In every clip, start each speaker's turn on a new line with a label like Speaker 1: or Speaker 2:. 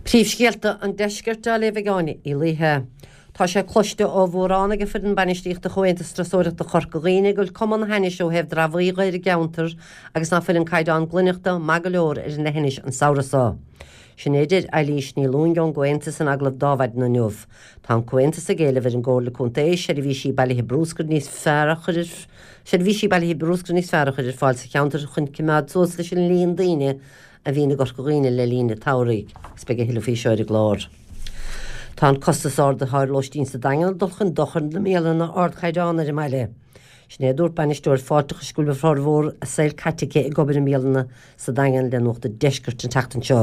Speaker 1: Príomhscéalta an Deiscirt á léamh ag Áine Uí Laoithe. Tá sé cloiste ó mhórán ag foireann bainistíochta Chomhaontas Turasóireachta Chorca Dhuibhne go bhfuil cuma an hainnis ó thaobh dramhaíl dhe ar an gceantar agus ná fuil an caighdeán glaineachta maith go leor ar an leithinis an samhradh so. Sin é a deir Eilís Ní Lúing ón gComhaontas in agallamh d'Adhmhaidin inniu. Tá an Comhaontas ag éileamh ar an gComhairle Contae seirbhísí bailithe brúscair níos fearr a chur ar seirbhísí bailithe brúscair níos fearr a chur ar fáil sa cheantar chun coimeád suas leis an líon daoine a bhíonn i gCorca Dhuibhne le linn an tsamhraidh, agus beidh a thuilleadh faoi seo ar an gclár. Tá an costas ard atá ar lóistín sa Daingean ag dul chun dochair na mbialanna ardchaighdeán ar an mbaile. Sin é a dúirt bainisteoir fáilteachais go bhfuil formhór a saoil caite aici ag obair i mbialanna sa Daingean le Nuacht an Deiscirt an tseachtain seo.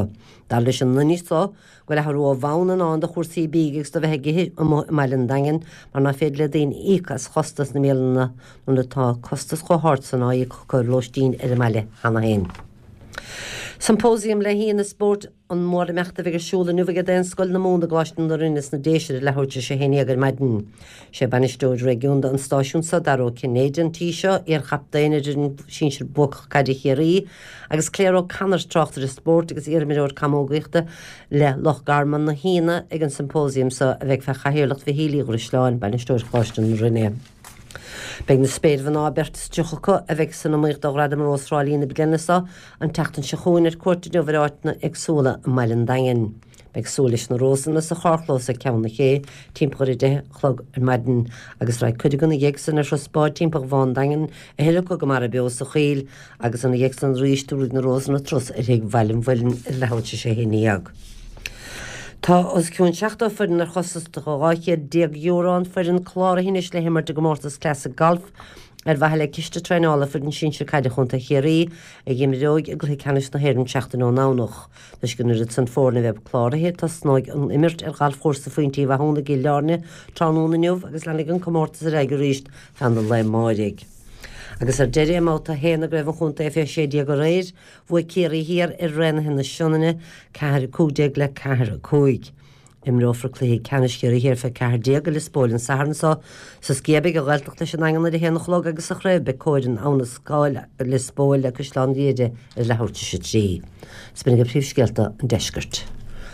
Speaker 1: Dar leis an nduine so go bhfuil athrú ó bhonn i ndán do chúrsaí bídh agus do bheith ag ithe amuigh i mbaile an Daingin mar ná féidir le daoine íoc as chostas na mbialanna nuair atá costas chomh hard san á íoc acu ar lóistín ar an mbaile cheana féin. Symposium le haíonna spóirt an mhórimeacht a bheidh ar siúl inniu ag Daonscoil na Mumhan i gColáiste na Rinne sna Déise ar leathuair tar éis a 11 ar maidin. Sé bainisteoir réigiúnda an stáisiúin seo, Dara Ó Cinnéide, an tí seo, iar-chaptaen ar fhoireann sinsir buacach caide Chiarraí, agus Claire O'Connor, tráchtaire spóirt agus iarimreoir camógaíochta le Loch Garman, na haíonna ag an symposium seo a bheidh fé chathaoirleacht Mhichíl Uí Dhrisleáin, bainisteoir Choláiste na Rinne. Beidh na spéirmhná, beirt is 30 acu, a bheidh san iomaíocht do Ghradam Rós Thrá Lí na bliana seo, an tseachtain seo chugainn ar cuairt inniu ar áiteanna éagsúla i mbaile an Daingin. Beidh súil leis na rósanna sa charrchlós ag Ceann na Cé timpeall ar 10 a chlog ar maidin agus raghaidh cuid acu ina dhiaidh san ar thuras báid timpeall Bhá an Daingin, a thuilleadh acu go Mara Beo sa Choill agus ina dhiaidh san arís tabharfaidh na rósanna turas ar Thigh Bhaile an Mhuilinn ar leathuair tar éis a 11. Tá os cionn 70 foireann ar chostas de €12,000 an foireann cláraithe anois le himirt i gcomórtas Classic Golf ar mhaithe le ciste traenála foireann sinsir caide Chontae Chiarraí a dh'imreoidh i gcluiche ceannais na hÉireann seachtain ón nDomhnach. Toisc an oiread san foirne a bheith cláraithe, tosnóidh an imirt ar Ghalfchúrsa Phointe Uí Mhathúna i gCill Airne tráthnóna inniu agus leanfaidh an comórtas ar aghaidh arís feadh an lae amáirigh. Agus ar deireadh, i mbabhta 1 i gCraobh an Chontae fé 16 aréir, bhuaigh Ciarraí Thiar ar Raonaithe na Sionainne, 4, 15 le 4, 5. Imreofar cluiche ceannais Chiarraí Thiar fé 14 i Lios Póil an Satharn seo. Sa Sciath beidh an Ghaeltacht leis an nDaingean ar a haon a chlog agus sa chraobh beidh Comhar in Abha na Scáil Lios Póil le Caisleán Ghriaire ar leathuair tar éis a 3. B'in agaibh príomhscéalta an deiscirt.